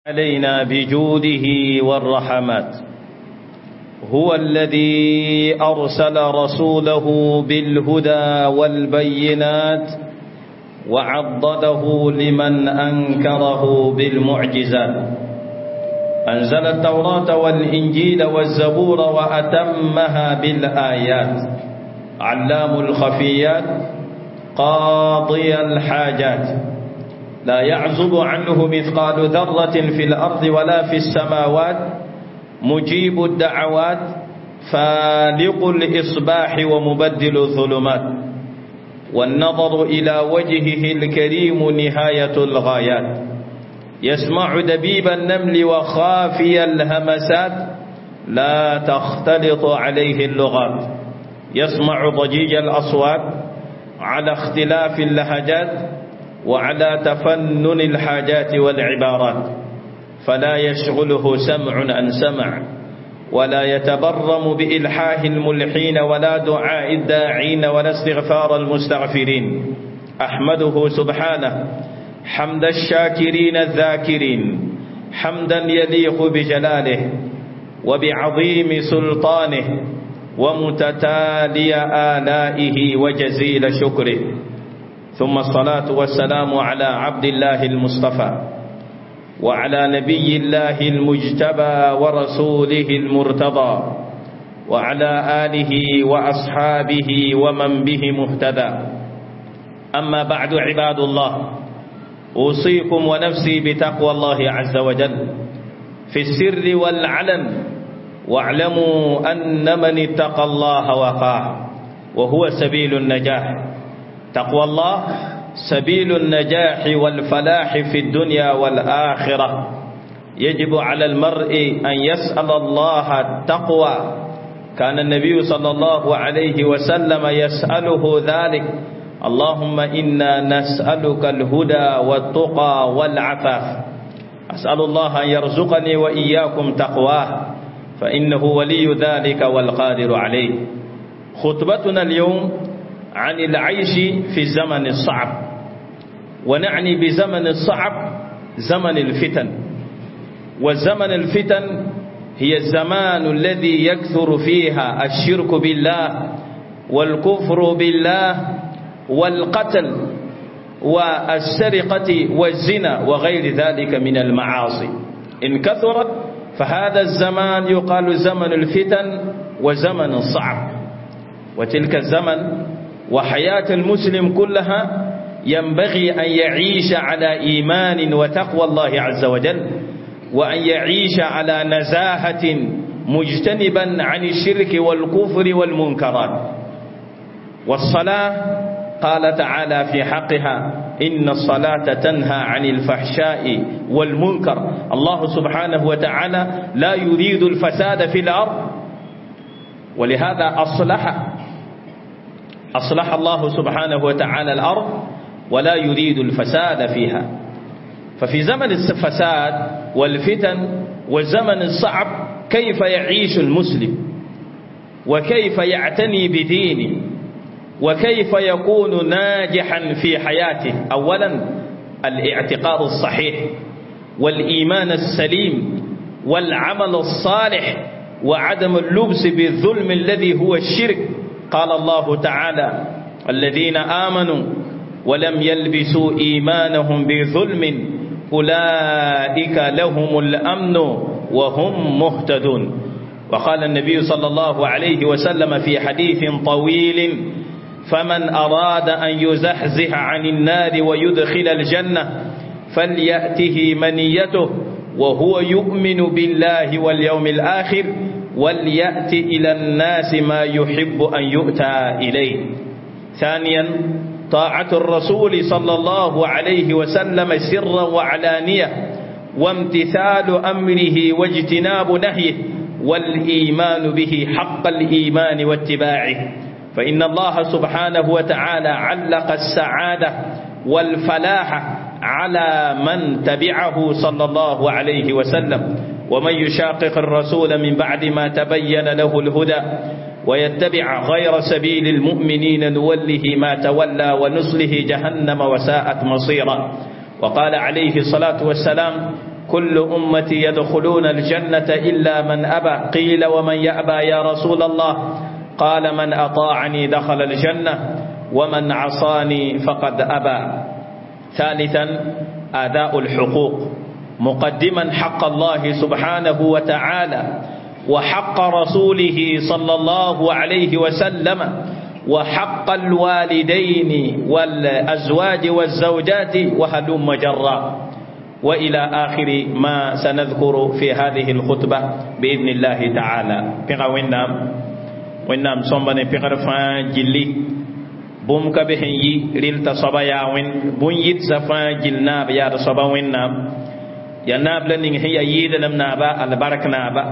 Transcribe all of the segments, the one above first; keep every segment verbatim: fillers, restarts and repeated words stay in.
علينا بجوده والرحمات. هو الذي أرسل رسوله بالهدى والبينات وعضده لمن أنكره بالمعجزات. أنزل التوراة والإنجيل والزبور وأتمها بالآيات. علام الخفيات، قاضي الحاجات، لا يعزب عنه مثقال ذرة في الأرض ولا في السماوات، مجيب الدعوات، فالق الإصباح ومبدل الظلمات. والنظر إلى وجهه الكريم نهاية الغايات. يسمع دبيب النمل وخافي الهمسات، لا تختلط عليه اللغات. يسمع ضجيج الأصوات على اختلاف اللهجات وعلى تفنن الحاجات والعبارات، فلا يشغله سمع عن سمع، ولا يتبرم بإلحاح الملحين ولا دعاء الداعين ولا استغفار المستغفرين. أحمده سبحانه حمد الشاكرين الذاكرين، حمدا يليق بجلاله وبعظيم سلطانه ومتتالي آلائه وجزيل شكره. ثم الصلاة والسلام على عبد الله المصطفى وعلى نبي الله المجتبى ورسوله المرتضى وعلى آله وأصحابه ومن به مهتدى. أما بعد، عباد الله، أوصيكم ونفسي بتقوى الله عز وجل في السر والعلن، واعلموا أن من اتقى الله وقاه، وهو سبيل النجاح. تقوى الله سبيل النجاح والفلاح في الدنيا والآخرة. يجب على المرء أن يسأل الله التقوى. كان النبي صلى الله عليه وسلم يسأله ذلك: اللهم إنا نسألك الهدى والتقى والعفاف. أسأل الله أن يرزقني وإياكم تقواه، فإنه ولي ذلك والقادر عليه. خطبتنا اليوم عن العيش في الزمن الصعب، ونعني بزمن الصعب زمن الفتن. وزمن الفتن هي الزمان الذي يكثر فيها الشرك بالله والكفر بالله والقتل والسرقة والزنا وغير ذلك من المعاصي. إن كثرت فهذا الزمان يقال زمن الفتن وزمن الصعب. وتلك الزمن وحياة المسلم كلها ينبغي أن يعيش على إيمان وتقوى الله عز وجل، وأن يعيش على نزاهة مجتنبا عن الشرك والكفر والمنكرات. والصلاة قال تعالى في حقها: إن الصلاة تنهى عن الفحشاء والمنكر. الله سبحانه وتعالى لا يريد الفساد في الأرض، ولهذا أصلح أصلح الله سبحانه وتعالى الأرض ولا يريد الفساد فيها. ففي زمن الفساد والفتن والزمن الصعب كيف يعيش المسلم؟ وكيف يعتني بدينه؟ وكيف يكون ناجحا في حياته؟ أولا الاعتقاد الصحيح والإيمان السليم والعمل الصالح وعدم اللبس بالظلم الذي هو الشرك. قال الله تعالى: الذين آمنوا ولم يلبسوا إيمانهم بظلم أولئك لهم الأمن وهم مهتدون. وقال النبي صلى الله عليه وسلم في حديث طويل: فمن أراد أن يزحزح عن النار ويدخل الجنة فليأته منيته وهو يؤمن بالله واليوم الآخر وليأت إلى الناس ما يحب أن يؤتى إليه. ثانيا طاعة الرسول صلى الله عليه وسلم سرا وعلانية، وامتثال أمره واجتناب نهيه، والإيمان به حق الإيمان واتباعه. فإن الله سبحانه وتعالى علق السعادة والفلاح على من تبعه صلى الله عليه وسلم. ومن يشاقق الرسول من بعد ما تبين له الهدى ويتبع غير سبيل المؤمنين نوله ما تولى ونصله جهنم وساءت مصيرا. وقال عليه الصلاة والسلام: كل أمتي يدخلون الجنة إلا من أبى. قيل ومن يأبى يا رسول الله؟ قال من أطاعني دخل الجنة ومن عصاني فقد أبى. ثالثا أداء الحقوق، مقدما حق الله سبحانه وتعالى وحق رسوله صلى الله عليه وسلم وحق الوالدين والأزواج والزوجات وهلم جرا، وإلى آخر ما سنذكر في هذه الخطبة بإذن الله تعالى. بيغا وينام وينام صنبني بيغا فان جلي بوم كبهن يي ريل تصبا يا وين بون يت زفان جلنا بيا تصبا وينام يا ناب لنين هي ييد لم نابا البرك نابا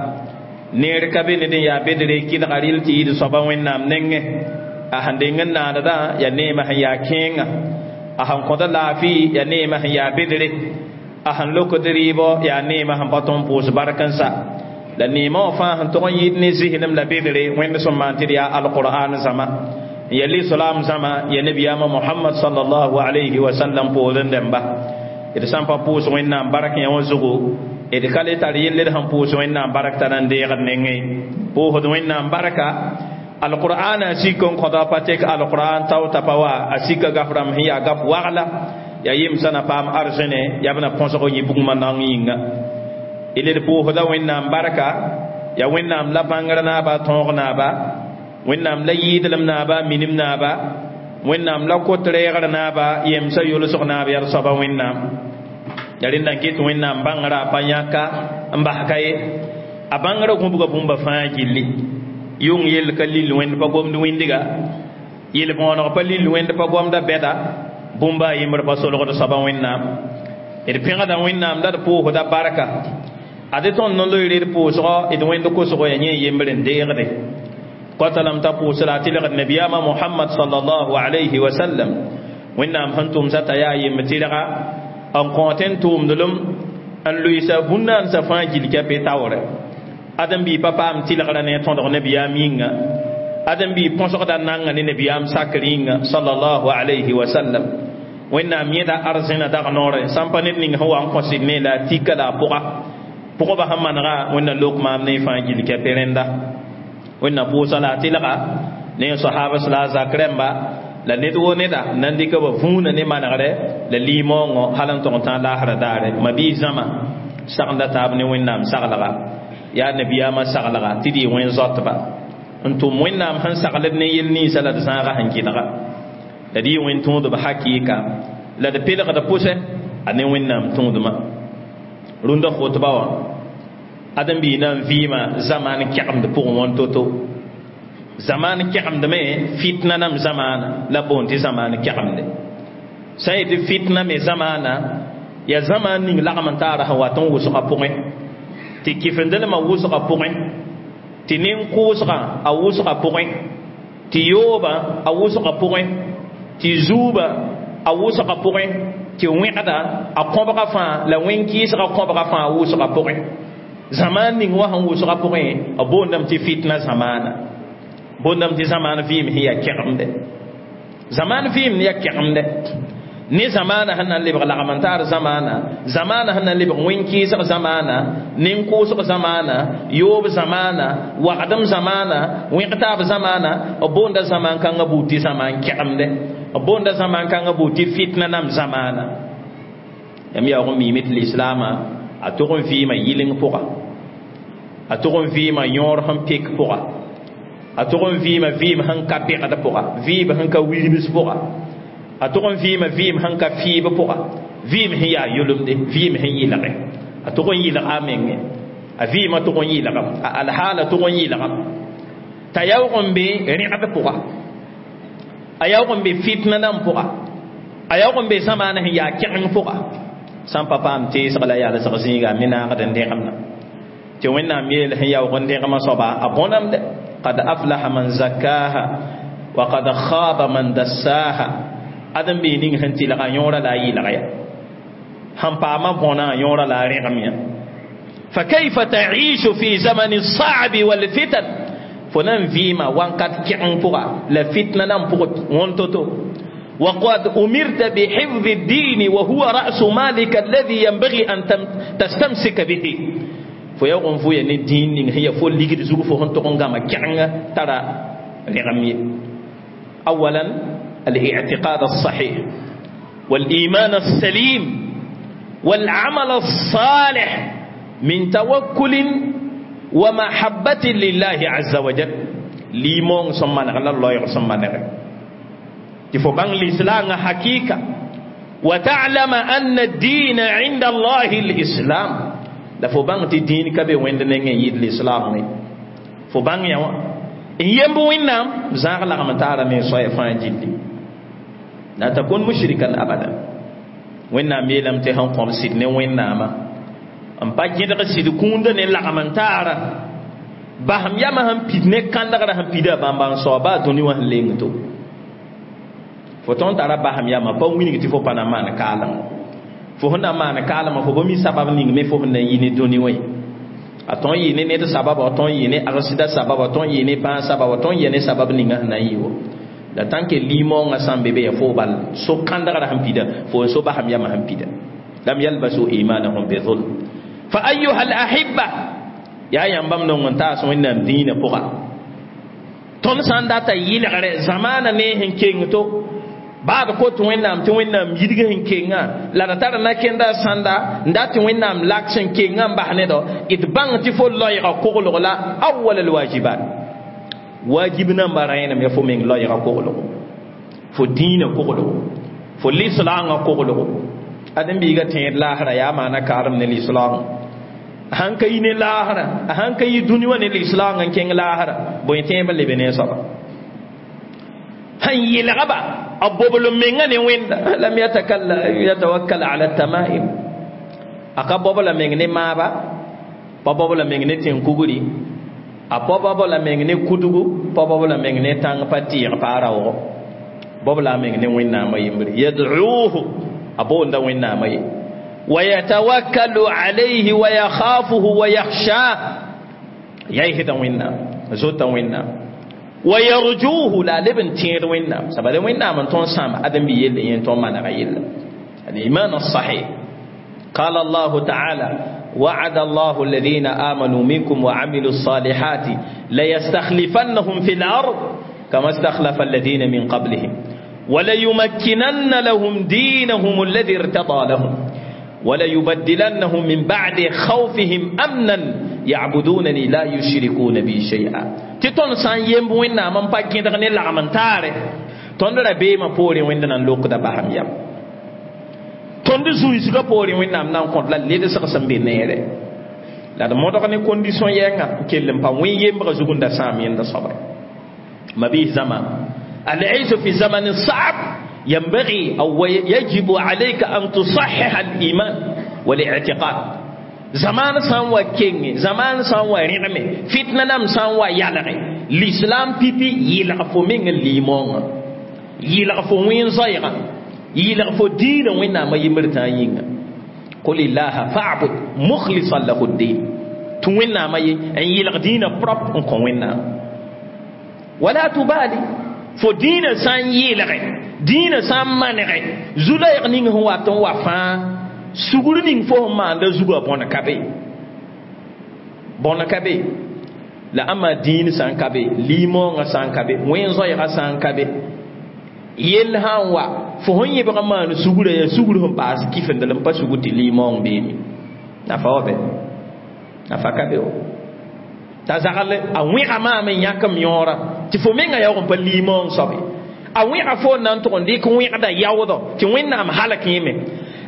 نير كبه ندين يا بدري كيد غريل تي صبا وينام نينه a sẽn deng n naanedã ya neemã sẽn yaa kẽenga a sẽn kõta laafɩ ya neemã sẽn yaa bedre a sẽn lokd rɩɩbɔ yaa neemã sẽn pa tõnd n pʋʋs bark n sa la neemã wã fãa sẽn tog n yɩɩd ne zislem la bedre wẽnd sẽn maan tɩ d yaa alqur'an zãma n ya lislaam zãma ya nabiyaamã Mohamad sallallahu alayhi wa sallam poorẽ dẽmba d sã n pa pʋʋs wẽnnaam bark yã wã zugu d ka le tar yell d sẽn pʋʋs wẽnnaam bark t'a na n deegd nengẽ pʋʋsd wẽnnaam barka القرآن أسيكم قضاء باتك القرآن تاو تبوا أسيك غفرام هي غف وغلا يا يمسنا بام أرجنة يا بنا بونسو يبوغ منانينغ إلى بوه دا وين نام بركة يا وين نام لا بانغر نابا تونغ نابا وين نام لا يدلم نابا مينم نابا وين نام لا كوتريغر نابا يمسا يولسق نابا يرصبا وين نام يا لين كيت وين نام بانغرا بانياكا امباكاي أبانغرا كومبوغا بومبا فاجيلي yung yel ka lil wẽnd pa gomd wĩndga yel bõoneg pa lil wẽnd pa gomda bɛda bũmba a yembr pa solgd soaba wẽnnaam d pẽgda wẽnnaam la d pʋʋsda barka ade tõnd no-loeere d pʋʋsgɔ d wẽnd kosgo ya yẽ yembr n deegde kota lame t'a pʋʋs la a tɩlgd nabiyaamã Mohamad sallallahu alayhi wa sallam wẽnnaam sẽn tʋmsa t'a yaa yemb tɩrga n kõot n tʋʋmdlem n loɩsa bũn-naansã fãa gil ka pe taoore adam bi papa am tilgra ne tõdg nabiyaam yĩnga adam bi põsgda nanga ne nabiyaam sakr yĩnga sallallahu alayhi wa sallam wẽnnaam yẽda arzẽna dag noore sãn pa ned ning sẽn wa n kõsd ne la a tika la a pʋga pʋgba sẽn manega wẽnna lok maam ne fãa gil ka pe rẽnda wẽnna pʋʋsa la a tɩlga ne sahabas la a zak rẽmba la ned wo neda nan dɩka ba vũuna ne manegre la liimoongõ hal n tog n tã laasra daare ma-biis zãma sagenda taab ne wẽnnaam saglga ya nabiyaamã saglga tɩ d yɩ wẽn zoatba n tʋm wẽnnaam sẽn saglb ne yel ninsã la d zãaga sẽn kɩdga la d yɩ wẽn tõodb hakɩɩka la d pelgd pʋsɛ a ne wẽnnaam tõodmã rũndã khotba wã ãdem-biig na n vɩɩmã zamaan kɛgemd pʋgẽ wã to-to zamaan kɛgemdme fitna nam zamaana la boond tɩ zamaan kɛgemde sã n yetɩ fitna me zamaana ya zamaan ning lagm n taara sẽn wat n wʋsgã pʋgẽ tɩ kɩfendelmã wʋsgã pʋgẽ tɩ nin-kʋʋsgã a wʋsgã pʋgẽ tɩ yoobã a wʋsgã pʋgẽ tɩ zuubã a wʋsgã pʋgẽ tɩ wẽgda a kõbga fãa la wẽn-kɩɩsgã kõbga fãa a wʋsgã pʋgẽ zamaan ning wã sẽn wʋsgã pʋgẽ a boondame tɩ fitna zamaana boondame tɩ zamaan vɩɩm sẽn yaa kɛgemde zamaan vɩɩm yaa kɛgemde ne zamaana sẽn na n lebg lagm n taar zamaana zamaana sẽn na n lebg wẽn-kɩɩsg zamaana nin-kʋʋsg zamaana yoob zamaana wagdem zamaana wẽg-taab zamaana b boonda zamaan kãngã buud tɩ zamaan kɛgemde b boonda zamaan kãngã buud tɩ fitna nam zamaana yãmb yaoog n miime tɩ lislaamã a tog n vɩɩma yɩleng pʋga a tog n vɩɩma yõor sẽn pek pʋga a tog n vɩɩma vɩɩm sẽn ka bẽgd pʋga vɩɩb sẽn ka wilbs pʋga a tog n vɩɩma vɩɩm sẽn ka fɩɩb pʋga vɩɩm sẽn yaa yʋlemde vɩɩm sẽn yɩlge a tog n yɩlga a menge a vɩɩmã tog n yɩlgam a alhaala tog n yɩlgam t'a yaoog n be rẽgd pʋga a yaoog n be fitna nan pʋga a yaoog n be zamaana sẽn yaa kẽgeng pʋga sã n pa paam teesg la yalsg zĩiga a me naagd n dẽgemna tɩ wẽnnaam yeel sẽn yaoog n dẽgemã soaba a bõnamde qad aflaha man zakkaha wa qad khaba man dassaha ãdem-biig ning sẽn tɩlga yõora la a yɩlg ya sẽn paamã bõna yõora la a rẽgem ya فكيف تعيش في زمن الصعب والفتن fo na n vɩɩma wãnkat kẽgeng pʋga la fitna nan pʋg wõn to-to وقد أمرت بحفظ الدين وهو رأس مالك الذي ينبغي أن تستمسك به. فيوم فويا الدين هي فول ليجد زوج فهن تقوم ترى رغمي. أولا الاعتقاد الصحيح والإيمان السليم والعمل الصالح من توكل ومحبة لله عز وجل. ليمون سمنا الله يسمنا تفو بان الإسلام حقيقة، وتعلم أن الدين عند الله الإسلام. لا فو بان الدين كبي وين نين يد الإسلام فو بان يا إن يمبو وينام زاغ لا متارا من صاي فان جدي لا تكون مشركا أبدا. وينام يلم تهان قوم سيدني وينام أم باجي سيد كوند نلا متارا بهم يا ما هم بيدني كان دغرا هم بيدا بامبان صوبا دوني وان لينتو فوتون تارا بهم يا ما با ويني تي فو باناما نكالم فو هنا ما نكالم فو بمي سبب نين مي فو هنا يني دوني وي aton yene ne sabab aton yene arsida sabab aton yene ban sabab aton yene sabab ninga na yiwo la tant que limon ngam bébé ya fo bal so kandara ham pida fo so ba ham ya ham pida lam yalbasu imanahum bi dhulm. Fa ayyuha al ahibba ya yambam no ngonta so innam dina poka ton sanda ta yilgre zamana ne hen kengto baad ko tɩ Wẽnnaam tɩ Wẽnnaam yidg sẽn kenga la da tar na kenda sãnda n dat tɩ Wẽnnaam lak sẽn kenga n bas nedɔ d bãng tɩ fo loɛɛga koglg la awal alwajibat wajib namba rẽenem ya fo meng loɛɛga koglgo fo dĩinã koglgo fo lislaangã koglgo ãdem-biigã tẽed laasra yaa maana kaarem ne lislaangã sãn ka yi ne laasra a sãn ka yi dũni wã ne lislaangã n kẽng laasra bõe tẽebã lebe ne soaba han yelgba abobl menga ne wenda lam yatakalla yatawakkal ala tamaim aka bobla meng ne maba pa bobla meng ne tenkuguri a pa bobla meng ne kudugu pa bobla meng ne tang pa tir pa rawo bobla meng ne wenda ma yimri yad'uhu abonda wenda ma yi wa yatawakkalu alayhi wa yakhafuhu wa yakhsha yayhida wenda zota wenda ويرجوه لا لبن تير وينام سبب وينام من تون سام ادم بيل ين تون ما نغيل الايمان الصحيح. قال الله تعالى وعد الله الذين امنوا منكم وعملوا الصالحات ليستخلفنهم في الارض كما استخلف الذين من قبلهم وليمكنن لهم دينهم الذي ارتضى لهم وليبدلنهم من بعد خوفهم امنا يعبدونني لا يشركون بي شيئا. Tɩ tõnd sã n yemb Wẽnnaam n pa gẽdg ne lagm n taare tõnd ra beemã poorẽ Wẽnd na n lokda basam yam tõnd zuiisgã poorẽ Wẽnnaam na n kõt la ledsg sẽn be neere la d modg ne condition yɛnga n kell n pa wẽ yembgã zug n da sãam yẽnda soaba mabiis zãma al-iisu fi zamanin sa'b ينبغي أو يجب عليك أن تصحح الإيمان والاعتقاد. زمان سان wa kenge zaman san wa rẽgme fitna nam sã n wa yalge l'islam pipi yɩlg fo meng limõngã yɩlg fo wẽn-zoɛɛgã yɩlg fo diinã Wẽnnaamã yembr tã yĩnga qul illaha fa'bud mukhlisan lahu ddin tɩ Wẽnnaamã ye n yɩlg diinã propre n kõ Wẽnnaam wala tubali fo diinã sã n yɩlge diinã sã n manege zu-loɛɛg ning sẽn wat n wa fãa sugr ning fo sẽn maanda zugã bõn ka be bõn ka be la ãmba dĩin sã n ka be limõongã sã n ka be wẽn-zoɛɛgã sã n ka be yell sã n wa fo sẽn yẽbg n maan sugrã yaa sugr sẽn paas kifendl n pa sugr tɩ limõong beeme nafa wa bɛ nafa ka be wa t'a zagl a wẽga maam n yãk m yõora tɩ fo mengã yaoog n pa limõong soabe a wẽga fo n na n tʋg n dɩk wẽgda yaoodɔ tɩ Wẽnnaam halk yẽme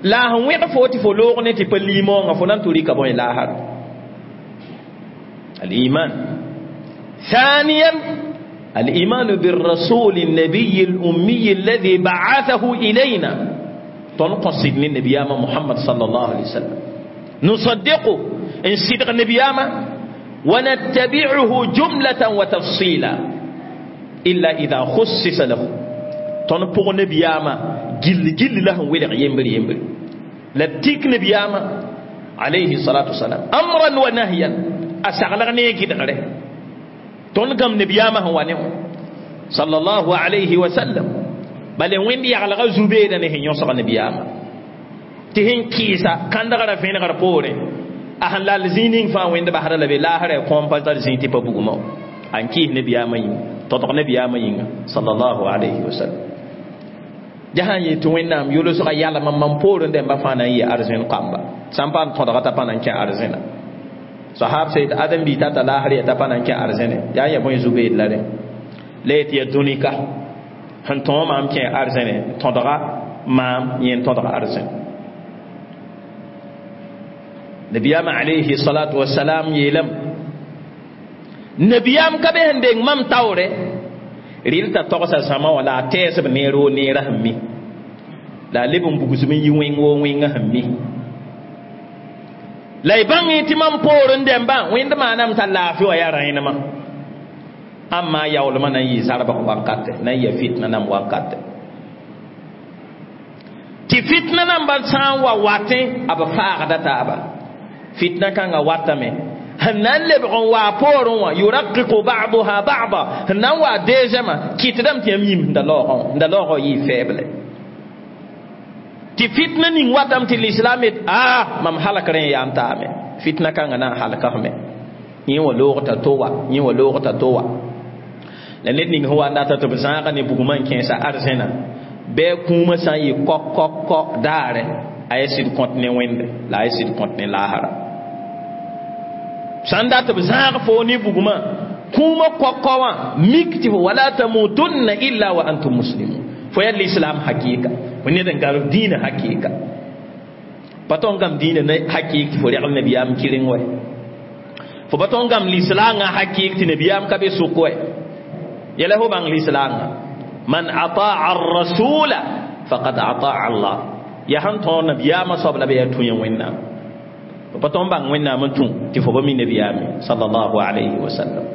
la sẽn wẽg fo tɩ fo loog ne tɩ pa limõongã fo na n tʋ rɩka bõe laasar الإيمان. ثانيا الإيمان بالرسول النبي الأمي الذي بعثه إلينا تنقصد النبي محمد صلى الله عليه وسلم نصدقه إن صدق النبي ونتبعه جملة وتفصيلا إلا إذا خصص له تنبغ النبي جل جل له ولغ يمبر يمبر لتيك نبي عليه الصلاة والسلام أمرا ونهيا أسغلغني كدغره تنقم نبي هو صلى الله عليه وسلم. Bale wẽnd yaglga zu-beeda ne sẽn yõsg nabiyaamã tɩ sẽn kɩɩsa kãndgrã vẽnegr poorẽ a sẽn lal zĩig ning fãa wẽnd basda la be laasra kõom pa tar zĩig tɩ pa bugmã an kɩɩs nabiyaamã yĩnga tõdg nabiyaamã yĩnga sallallahu alayhi wa sallam ja sã n yet tɩ wẽnnaam yolsga yalma mam poorẽ dẽmba fãa na n yɩ arzẽn kamba sã n paam tõdga t'a pa na n kẽ arzẽna sahab sey tɩ ãdem-biig tata laasr yaa t'a pa na n kẽ arzẽne yaa n ya bõe zu-beed la rẽ la yet yaa dũnika sẽn tõog maam kẽ arzẽne tõdga maam yẽ n tõdg arzẽn nabiyaam alayhi salatu wasalam yeelame nabiyaam ka be sẽn deng mam taoore rɩl t'a togsa zãma wã la a tɛɛsb neer woo neerã sẽn mi la a leb n bugsem n yi wẽng woo wẽngã sẽn mi la y bãng tɩ mam poorẽ dẽmbã wẽnd maaname t'a laafɩ wã yaa rãenemã ãmma yaoolmã na n yɩ zarbg wakate na n ya fitna nam wakate tɩ fitna nambã sã n wa watẽ a b faagda taaba fitna kãngã watame sẽn na n lebg n waa poorẽ wã yuraqiqu ba'duha ba'da sẽn na n waa deuxièmã kɩtdame tɩ yãmb yĩm sẽn da laoogã wã sẽn da laoogã yɩɩ faible tɩ fitna ning watame tɩ l'islam yet a mam halk rẽ n yaa n taame fitna kãngã na n halkame yẽ wã loog t'a to wa yẽ wã loog t'a to wa la ned ning sẽn wa n data tɩ b zãaga ne bugmã n kẽesa arzẽna bɩ a kũumã sã n yɩ kok-kok-kɔ daare a yaa sɩd kõt ne wẽnde la a yaa sɩd kõt ne laasra sã n dat b zãag foo ne bugmã kũumã kok-kɔ wã mik tɩ fo wala tamutunna illa wa antum muslimun fo yaa l'islam hakɩɩka fo ned n garb dĩinã hakɩɩka pa tõnd gam dĩinã ne hakɩɩk tɩ fo regl nabiyaam kɩreng wɛ fo pa tõnd gam lislaangã hakɩɩk tɩ nabiyaam ka be sʋk wɛ yɛla fo bãng lislaangã man ataa arrasula faqad ataa allah yaa sẽn tõog nabiyaamã soab la b yaa tũ ya wẽnnaam fo pa tõnd bãng wẽnnaam n tũ tɩ fo pa mi nabiyaame sallallahu alayhi wa sallam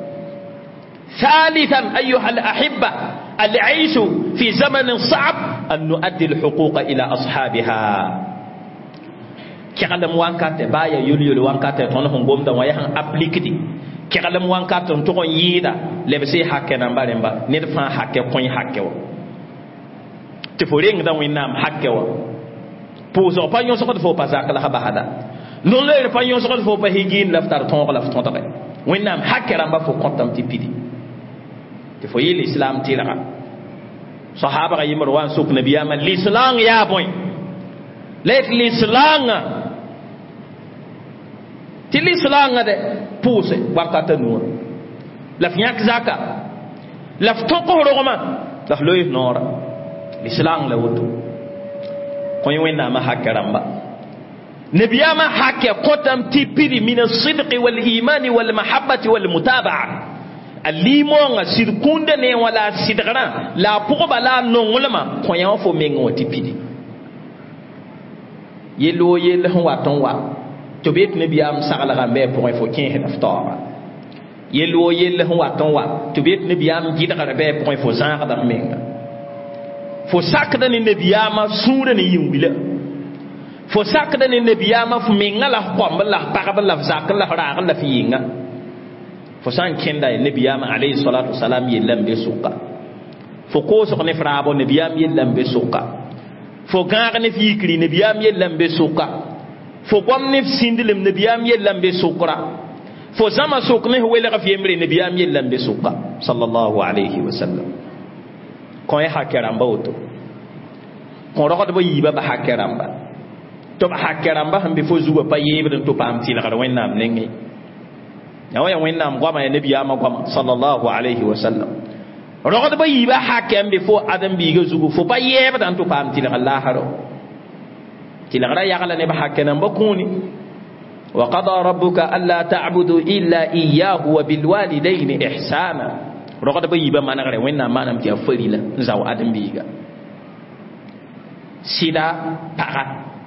ثالثا أيها الأحبة العيش في زمن صعب أن نؤدي الحقوق إلى أصحابها keglem wankatɛ baa yaa yol-yol wankatɛ tõnd sẽn gomda wã yaa sẽn aplikdi keglem wankatɛ n tʋg n yɩɩda lebs y hakɛ namba rẽmba ned fãa hakɛ kõi hakɛ wã tɩ fo rengda wẽnnaam hakɛ wã pʋʋsg pa yõsgd fo pa zak la basda non-loeer pa yõsgd fo pa higiin la f tar tõog la f tõdge wẽnnaam hakɛ rãmba fo kõtame tɩ pidi tɩ fo yɩ l'islam tɩrga sahabga yembr wa n sʋk nabiyaamã l'islam yaa bõe la yet lislaangã tɩ lislaangã de pʋʋse wakata nuwã la f yãk zaka la f tõk f rogmã la f loees noora lislaang la woto kõi wẽnnaamã hakɛ rãmba nabiyaamã hakɛ kõtame tɩ pidi min asidqi walimani walmahabati walmutabaa a limoongã sɩd kũunda ne wã la a sɩdgrã la a pʋgba la a nonglmã kõ yã wã fo meng wã tɩ pidi yell woo yell sẽn wat n wa tɩ b yet nabiyaam saglgã n bɩ a pʋgẽ fo kẽesd f taooga yell woo yell sẽn wat n wa tɩ b yet nabiyaam gɩdgr bɩ a pʋgẽ fo zãagda f menga fo sakda ne nabiyaamã sũurã ne yĩn-wila fo sakda ne nabiyaamã f menga la f kõmb la f pagb la f zak la f raag la f yɩnga fo sã n kẽnda nabiyaamã alayhi salatu wasalam yella n be sʋka fo koosg ne f raabo nabiyaam yella n be sʋka fo gãag ne f yikri nabiyaam yella n be sʋka fo gom ne f sĩndlem nabiyaam yella n be sʋkra fo zãma sʋk ne f welg f yembre nabiyaam yella n be sʋka sallallahu alayhi wa sallam kõ y hakɛ rãmba woto kõ rogdb yiibã ba hakɛ rãmba tɩ b hakɛ rãmba sẽn be fo zugã pa yeebd n tɩ paam tɩlgr wẽnnaam nengẽ ya wã yaa wẽnnaam goama yaa nabiyaamã goama sallallahu alayhi wa sallam rogdb yiibã hakɛ n be fo ãdem-biigã zugu fo pa yɛɛbda n tɩ paam tɩlgr laasrɔ tɩlgrã yagla neb hakɛ namba kũuni وقضى ربك ألا تعبدوا إلا إياه وبالوالدين إحسانا rogdb yiibã manegre wẽnnaam maanam tɩ yaa farila n zao ãdem-biiga sɩda paga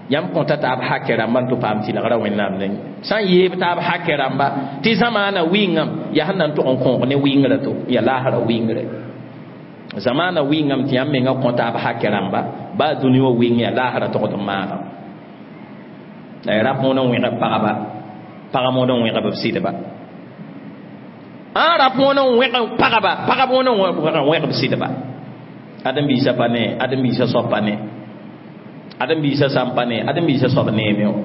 yãmb kõta taab hakɛ rãmba n tɩ paam tɩlgrã wẽnnaam nengẽ sã n yeeb taab hakɛ rãmba tɩ zamaana wɩngame yaa sẽn na n tʋg n kõog ne wɩngrã to ya laasrã wɩngre zamaana wɩngame tɩ yãmb menga kõ taab hakɛ rãmba baa dũni wã wɩng yaa laasrã togd n maagam la ya rap mõod n wẽgb pagba pag mõod n wẽgb b sɩdba ã rap mõod n wẽg pagba pagb mõod n wẽgb sɩdba Ãdem biisã pa ne ãdem biisã soab pa ne ãdem biisã sã n pa ne ãdem biisã soab neeme wã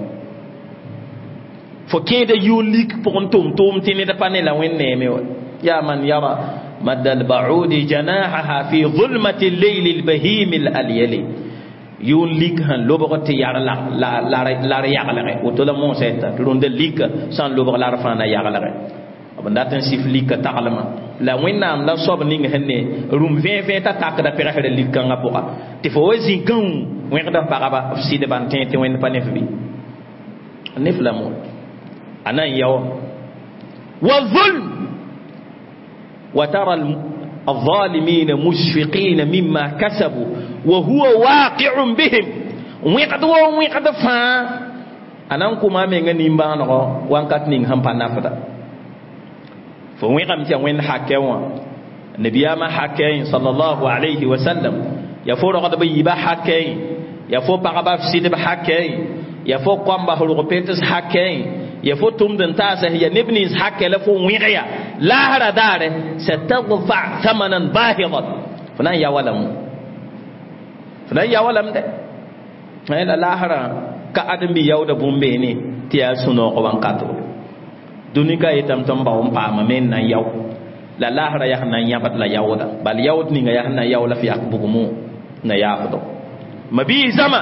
fo kẽeda yʋʋn lik pʋgẽ tʋm tʋʋm tɩ ned pa ne la wẽnd neeme wã ya man yara مد البعود جناحها في ظلمة الليل البهيم الأليل يون ليك هن لوبغ تي يار لا لا لا لا يغلغ وتلا مون سيتا روند ليك سان لوبغ لا رفانا يغلغ b dat n sif lika taglmã la wẽnnaam la soab ning sẽn ne rũm vẽe vẽe t'a takda pegsrã lik-kãngã pʋga tɩ fo wa zĩ gãu wẽgd f pagba f sɩdba n tẽ tɩ wẽnd pa ne f bɩ ne f la mo a na n yao wa zulm وترى الظالمين مشفقين مما كسبوا وهو واقع بهم وقد وقد فا أنا كما من نيمبانغ وانكات نين هم بنافدا فويقم تي وين حكوا النبي ما حكى صلى الله عليه وسلم يفور غد بيبا حكى يفو بغبا فسيد بحكى يفو قام بهرو بيتس حكى يفو تمدن تاسه يا نبني حكى لفو ويغيا لا هرا دار ستدفع ثمنا باهظا فلان يا ولم فلان يا ولم ده لا هرا كأدم بيودا بومبيني تيا سنو قوان كاتو dũni ka yetame tɩ n bao n paama me n na n yao la laasra yaa sẽn na n yãbd la yaooda bal yaood ninga yaa sẽn na n yao la f yak bugmo na yaafdo mabii zãma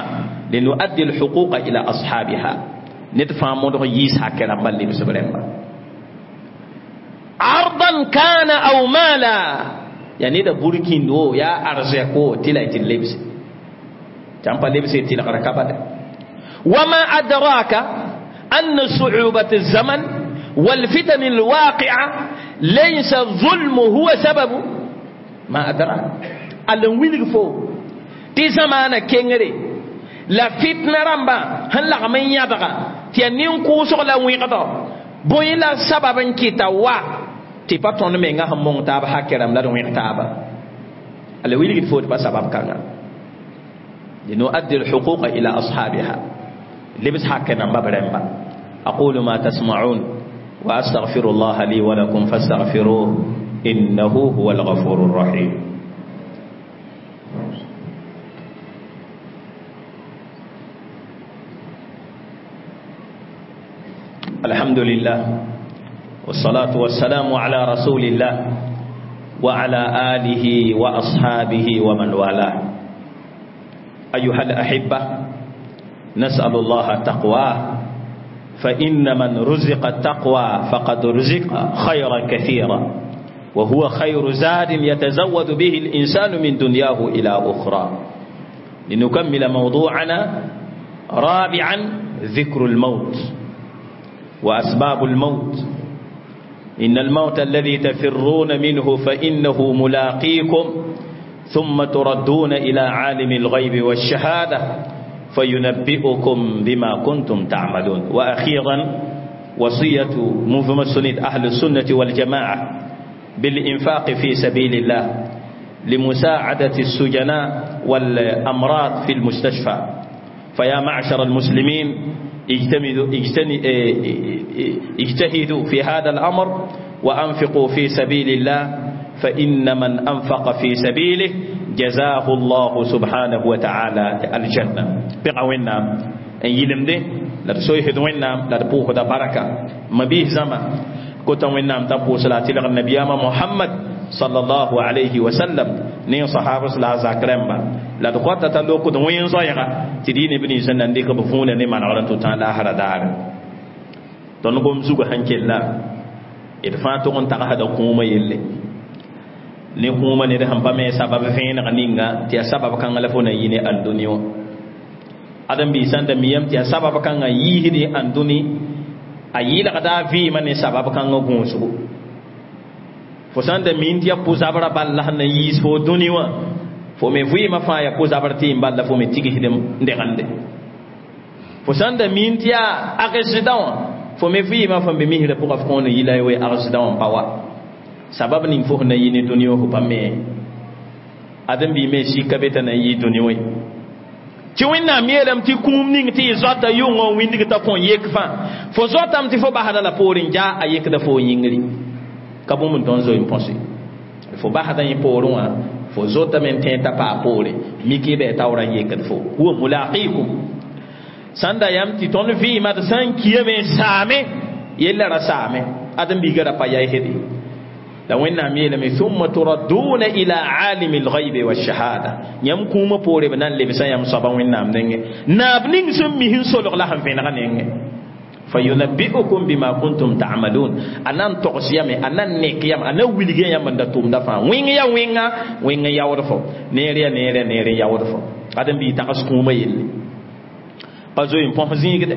linuaddi lhuquqa ila ashabiha ned fãa modg yiis hakɛ rãmba lebsb rẽmba ardan kana aw mala yaa neda burkĩnd wo yaa arzɛk wo tɩ la y tɩ d lebse tɩ n pa lebse tɩlgr ka bade wama adraka anna suubat الزمن والفتن الواقعة ليس الظلم هو سبب ما أدراك ألن ويلغ فو تي زمان كينغري لا فتنة رمبا هن لغمين يدغا تي نين كوسوغ لا ويغدا بوي لا سبب كيتا وا تي با تون ميغا هم مون تاب حكرم لا ويغ تابا ألن ويلغ فو تبا سبب كان لنؤدي الحقوق إلى أصحابها لبس حكنا ببرمبا أقول ما تسمعون وأستغفر الله لي ولكم فاستغفروه إنه هو الغفور الرحيم. الحمد لله والصلاة والسلام على رسول الله وعلى آله وأصحابه ومن والاه. أيها الأحبة، نسأل الله تقواه، فإن من رزق التقوى فقد رزق خيرا كثيرا، وهو خير زاد يتزود به الإنسان من دنياه إلى أخرى. لنكمل موضوعنا رابعا ذكر الموت وأسباب الموت. إن الموت الذي تفرون منه فإنه ملاقيكم ثم تردون إلى عالم الغيب والشهادة فينبئكم بما كنتم تعملون. وأخيرا وصية مفهوم أهل السنة والجماعة بالإنفاق في سبيل الله لمساعدة السجناء والأمراض في المستشفى. فيا معشر المسلمين اجتهدوا في هذا الأمر وأنفقوا في سبيل الله، فإن من أنفق في سبيله جزاه الله سبحانه وتعالى الجنة. بقى وينام ان يلمده لا تسويهد وينام لا تبوه دا بركة ما بيه زما كنت وينام تبو صلاة النبي محمد صلى الله عليه وسلم نين صحابة صلى الله عليه وسلم لا تقوات تلوكو وين زايغة تدين ابن سنن ديك بفون نمان على تتان لا هرا دار تنقوم زوغ هنكي الله إرفان تغن تغهد قوم يلي ne kũumã ned sẽn pa me sabab vẽeneg ninga tɩ yaa sabab kãngã la fo na yɩ ne ãndũni wã ãdem-biis sãn da miyame tɩ yaa sabab kãngã yiisd ãndũni a yɩlgda a vɩɩmã ne sabab kãngã gũusgo fo sãn da min tɩ yaa pʋ-zabrã bal la sẽn na yiis fo dũni wã fo me vɩɩmã fãa yaa pʋ-zabr tɩ n bal la fo me tigsd n degende fo sãn da min tɩ yaa agsdã wã fo me vɩɩmã fo be misrã pʋgã f kõon yɩla ye agsdã wã n pa wa sabab ning fo na yini duniya fo pa me adam bi me shi ka beta na yi duniya we ti wẽnnaam yeelame tɩ kũum ning tɩ y zoata yʋngã n wĩndg t'a kõn yek fãa fo zoatame tɩ fo basda la poorẽ ja a yekda fo yĩngri ka bũmb n tõnd zoe n põse fo basda yẽ poorẽ wã Fo zotame n tẽ t'a paa poore miki bɩ taoorã n yekd fo huwa mulaqikum sãn da yam tɩ tõnd vɩɩmã d sã n kiyame n saame yella ra saame ãdem-biigã ra pa yaisde la wẽnnaam yeelame thumma turadduna ila alimi lgaibe walshahada yãmb kũumã poore b na n lebsã yãmb soaba wẽnnaam nengẽ naab ning sẽn mis n solg la sẽn vẽnega nengẽ fayunabbi'ukum bima kuntum ta'malun anan togs yame anan nek yam anan wilge yam da tumda fa wing ya winga winga yawd fo neere ya neere neere yawd fo adam bi tags kuma yelle pa zo yin pon zingde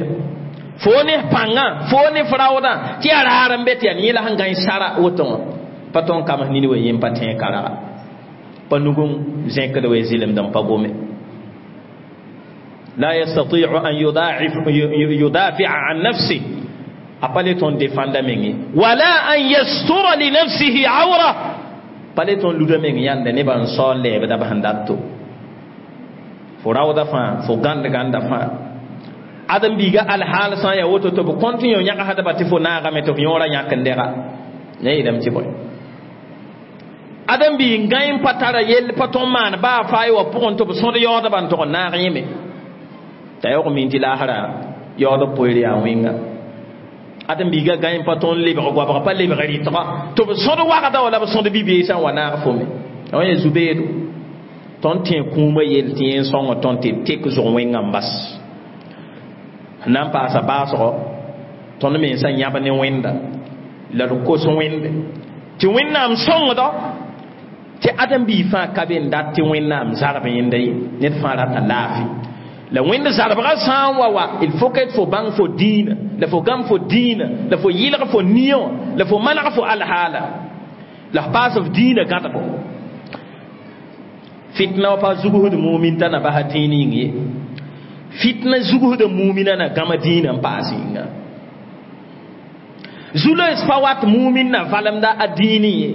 fo ne panga fo ne frauda ti ara aran bet ya ni la hangan sara woton paton kam ni ni we yim patin kara panugun zinkde we zilim dam pagome لا يستطيع أن يضاعف يدافع عن نفسه أباليتون ديفاندا ميني ولا أن يستر لنفسه عورة باليتون لودا ميني ياند نبان صول لبدا بهنداتو فراودا فان فغاند غاندا فان adam biga alhal san ya woto to continue nyaka hada bati fo naaga me to yora nyaka ndera ne idam ci boy adam bi ngaim patara yel paton man ba fay wa pon to so de yoda ban to naaga yeme t'a yaoog min tɩ laasra yaood b poeer yaa wẽnga ãdem-biiga gãe pa tõnd lebg goabg pa lebg rɩtga tɩ b sõd wagda wala b sõd bi-beesã n wa naag fo me wã yaa zu-beedo tõnd tẽ kũumã yell tɩ yẽ sõng tõnd tɩ tek zʋg wẽngã n bas na n paasa baasgɔ tõnd mensã yãb ne wẽnda la d kos wẽnde tɩ wẽnnaam sõngdɔ tɩ ãdem-biig fãa ka be n dat tɩ wẽnnaam zarb yẽnda ye ned fãa rata laafɩ la wẽnd zarbga sã n wa wa il faut que fo bãng fo dĩinã la fo gãmb fo dĩinã la fo yɩlg fo nia wã la fo maneg fo alhaala la f paas f dĩinã gãdgo fitna wa pa zugsd mumin t'a na basa dĩin yĩng ye fitna zugsda mumina na gãma dĩinã n paas yĩnga zu-loees pa wat mumin na valemda a dĩinẽ ye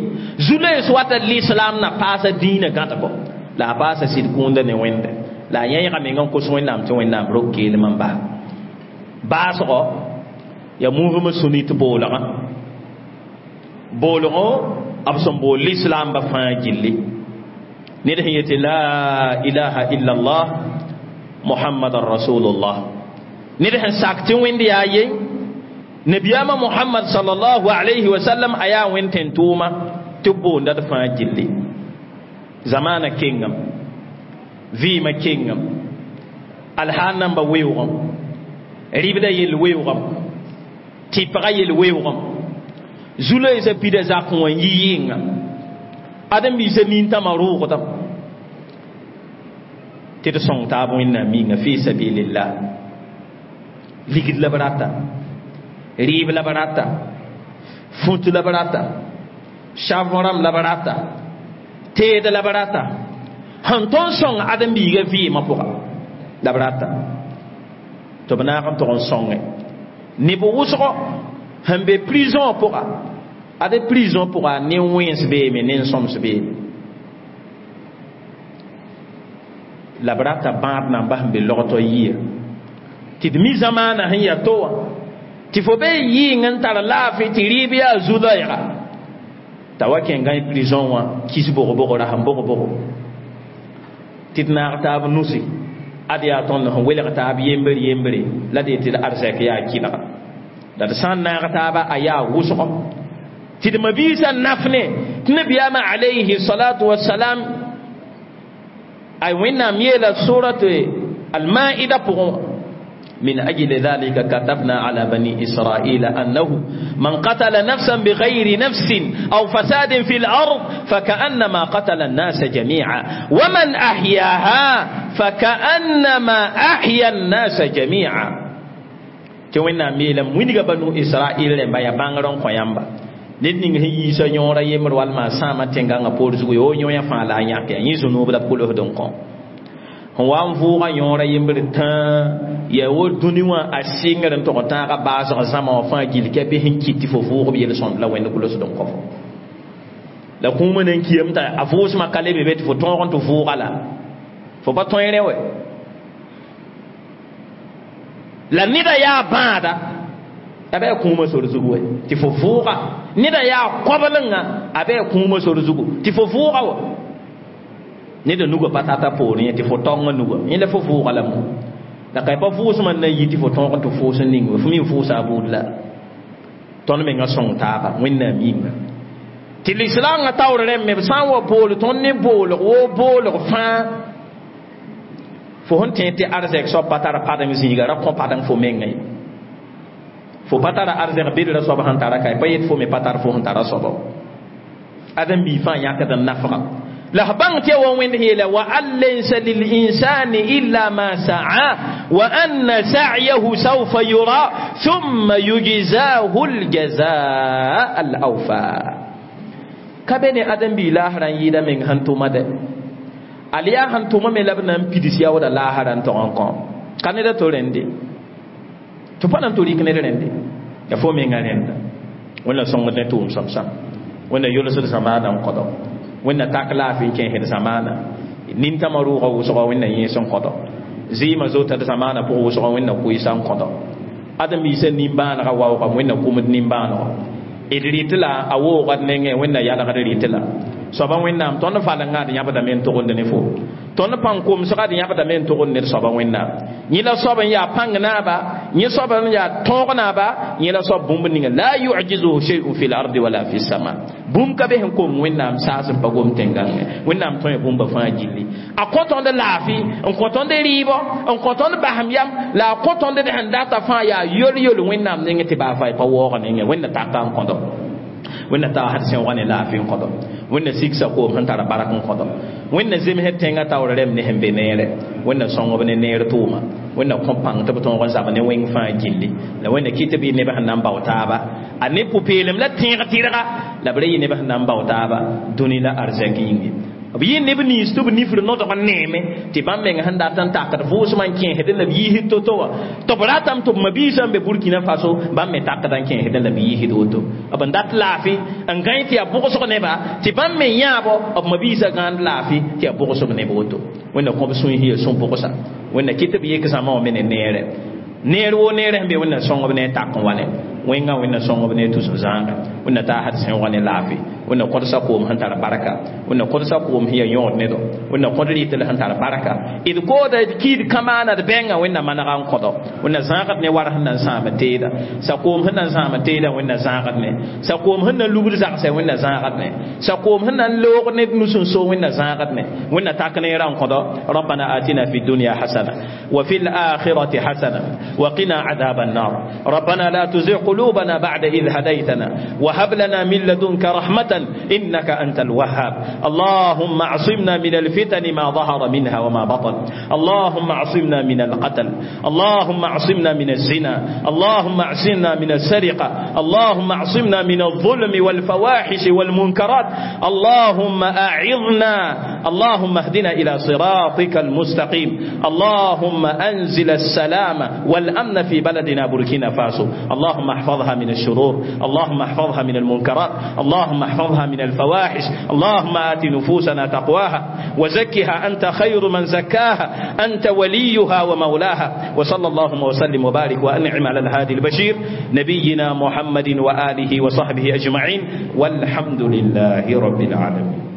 zu-loees wata l'islam na paasa dĩinã gãdgo la a paasa sɩd kũunda ne wẽnde la yẽega meng n kos wẽnnaam tɩ wẽnnaam rok keelem n bas baasgɔ ya mouvement sunnite boolgã boolgõ b sẽn bool lislaamba fãa gilli ned sẽn yetɩ la ilaha illa allah muhammadan rasulullah ned sẽn sak tɩ wẽnd yaa ye nabiyaamã muhammad sallallahu alayhi wa sallam a yaa wẽnd tẽn-tʋʋma tɩ b boonda d fãa gilli zamaana kengame vɩɩmã kengame alhaal namba weoogame rɩbda yell weoogame tɩpga yell weoogame zu-loeesã pida zakẽ wã n yi yɩnga ãdem-biisã nintãmã rʋʋgdame tɩ d sõng taab wẽnnaam yĩnga fi sabilillah ligd la b rata rɩɩb la b rata fũt la b rata savõ rãmb la b rata teed la b rata sẽn tõnd sõng ãdem-biigã vɩɩmã pʋga la b rata tɩ b naag n tʋg n sõnge neb wʋsgo sẽn be prison pʋga ad prison pʋga nen-wẽns beeme nen-sõms beeme la b rata bãad namba sẽn be logtɔ yia tɩ d mi zamaana sẽn yaa to wã tɩ fo be yɩɩng n tar laafɩ tɩ rɩɩb yaa zu-loɛɛga t'a wa kẽ gãe prison wã kis bog-bogr sẽn bog-bogo tɩ d naag taab nusi ad yaa tõnd sẽn welg taab yembre yembre la d yetɩ d arzɛk yaa kɩlga la d sã n naag taaba a yaa wʋsgo tɩ d mabiisã naf ne tɩ nabiyaamã alayhi salatu wasalam a wẽnnaam yeela surat almaida pʋgẽ wã من أجل ذلك كتبنا على بني إسرائيل أنه من قتل نفسا بغير نفس أو فساد في الأرض فكأنما قتل الناس جميعا ومن أحياها فكأنما أحيا الناس جميعا توينا ميلا وينغا بنو إسرائيل لما يبانغرون قيامبا ned ning sẽn yiisa yõora yembr walma sãama tẽngãngã poor zugu yo yõ fãa la a yãk yaa yẽ zũnuub la pʋlsd n kõ sẽn wa n vʋʋga yõora yembr tãa yaa wo dũni wã a sɩngr n tog n tãaga baasg zãma wã fãa gill kɛ bɩ sẽn kɩt tɩ fo vʋʋg b yel-sõmd la wẽnd gʋlsd n kõ fo la kũumã nan kiyame t'a a vʋʋsmã ka lebe be tɩ fo tõog n tɩ vʋʋga la fo pa tõe rẽ wɛ la neda yaa bãada a bɩ a kũumã sor zugu wɛ tɩ fo vʋʋga neda yaa koblenga a bɩ a kũumã sor zugu tɩ fo vʋʋga wa Ned nuga pa tata poorẽ tɩ fo taongã nuga yẽ la fo vʋʋga la mo la ka pa vʋʋsmã n na n yi tɩ fo tõog n tɩ fʋʋs n ning fo mi n vʋʋsa a buud la tõnd menga sõng taaba wẽnnaam yĩnga tɩ lislaangã taoor rẽmbe b sã n wa bool tõnd ne boolg woo boolg fãa fo sẽn tẽed tɩ arzɛk soab pa tara padeng zĩiga ra kõ padeng fo menga ye fo pa tara arzɛk bedra soab sẽn tara ka pa yet fo me pa tar fo sẽn tara soaba ãdem-biig fãa yãkd n nafga la f bãng tɩ wa wẽnd yeela wa an laysa lilinsani illa ma sa'a wa anna sa'yahu sawfa yura thumma yujzahu ljazaa al awfa ka be ne ãdem-biig laasrã n yɩɩda meng sẽn tʋma dɛ al yaa sẽn tʋma me la b na n pids yaooda laasrã n tog n kõ ka ned a to rẽnde tɩ pa na n to rɩk ned rẽnde ya fo menga rẽnda wẽnna sõngd ne tʋʋm sõm-sãm wẽnna yolsd zamaana n kõdo wẽnna tak laafɩ n kẽesd zamaana nintãmã rʋʋga wʋsga wẽnna yẽes n kõdo zɩɩmã zota d zamaana pʋg wʋsga wẽnna koɩsa n kõdo ãdem-biisã nimbãanegã waoogame wẽnna kʋmd nimbãanego d rɩt la a woogd nengẽ wẽnna yalgd rɩt la soaba wẽnnaam tõnd falengã d yãbdame n togend ne fo tõnd pãng komsga d yãbdame n togend ned soaba wẽnnaam yẽ la soab n yaa pãng naaba yẽ soab n yaa tõog naaba yẽ la soab bũmb ninga la yujizuhu shay'un fi lardi wala fi sama bũmb ka be sẽn kom wẽnnaam saas n pa gom tẽngãngẽ wẽnnaam tõe bũmba fãa gilli a kõ tõnd laafɩ n kõ tõnd rɩɩbɔ n kõ tõnd basem yam la a kõ tõnd d sẽn data fãa yaa yol-yol wẽnnaam nengẽ tɩ baa fa pa waoog nengẽ wẽnna taka n kõdo wẽnna tagsd sẽoogã ne laafɩ n kõdo wẽnna sigsa koom sẽn tara barak n kõdo wẽnna zemsd tẽngã taoor rɛm ne sẽn be neere wẽnna sõngb ne neer tʋʋma wẽnna kõ pãng tɩ b tõog n zab ne wẽng fãa gilli la wẽnna kɩ tɩ b yɩ neb sẽn na n bao taaba a ne pʋ-peelem la tẽeg tɩrga la b ra yɩ neb sẽn na n bao taaba dũni la arzɛk yĩnge b yɩ neb nins tɩ b nifr nodg n neeme tɩ bãmb meng sẽn dat n takd vʋʋsmã n kẽesdẽ la b yiisd to-to wã tɩ b ratame tɩ b mabiisã n be Burkina Faso bãmb me takda n kẽesdẽ la b yiisd woto b n dat laafɩ n gãe tɩ yaa bʋgsg neba tɩ bãmb me yãabo b mabiisã gãand laafɩ tɩ yaa bʋgsb neb woto wẽnna kõ b sũy sẽn yaa sũ-bʋgsa wẽnna kɩ tɩ b yek zãma wã me ne neere neer woo neerã sẽn be wẽnna sõngb ne a tak n wa ne wẽngã wẽnna sõngb ne tusm zãagã wẽnna taasd sẽoogã ne laafɩ wẽnna kõdsa koom sẽn tar barka wẽnna kõdsa koom sẽn yaa yõod nedo wẽnna kõd rɩtl sẽn tar barka d kooda d kiid kamaana d bɛngã wẽnna manega n kõdo wẽnna zãagd ne war sẽn na n sãam teeda sa-koom sẽn na n sãam teeda wẽnna zãagd ne sa-koom sẽn na n lubd zagsɛ wẽnna zãagd ne sa-koom sẽn na n loog ned nus n so wẽnna zãagd ne wẽnna tak neerã n kõdo ربنا آتنا في الدنيا حسنة وفي الآخرة حسنة وقنا عذاب النار ربنا لا تزغ قلوبنا بعد إذ هديتنا وهب لنا من لدنك رحمة إنك أنت الوهاب اللهم اعصمنا من الفتن ما ظهر منها وما بطن اللهم اعصمنا من القتل اللهم اعصمنا من الزنا اللهم اعصمنا من السرقة اللهم اعصمنا من الظلم والفواحش والمنكرات اللهم أعظنا اللهم اهدنا إلى صراطك المستقيم اللهم أنزل السلام والأمن في بلدنا بوركينا فاسو اللهم احفظها من الشرور اللهم احفظها من المنكرات اللهم احفظها من الفواحش اللهم آت نفوسنا تقواها وزكها أنت خير من زكاها أنت وليها ومولاها وصلى اللهم وسلم وبارك وأنعم على الهادي البشير نبينا محمد وآله وصحبه أجمعين والحمد لله رب العالمين.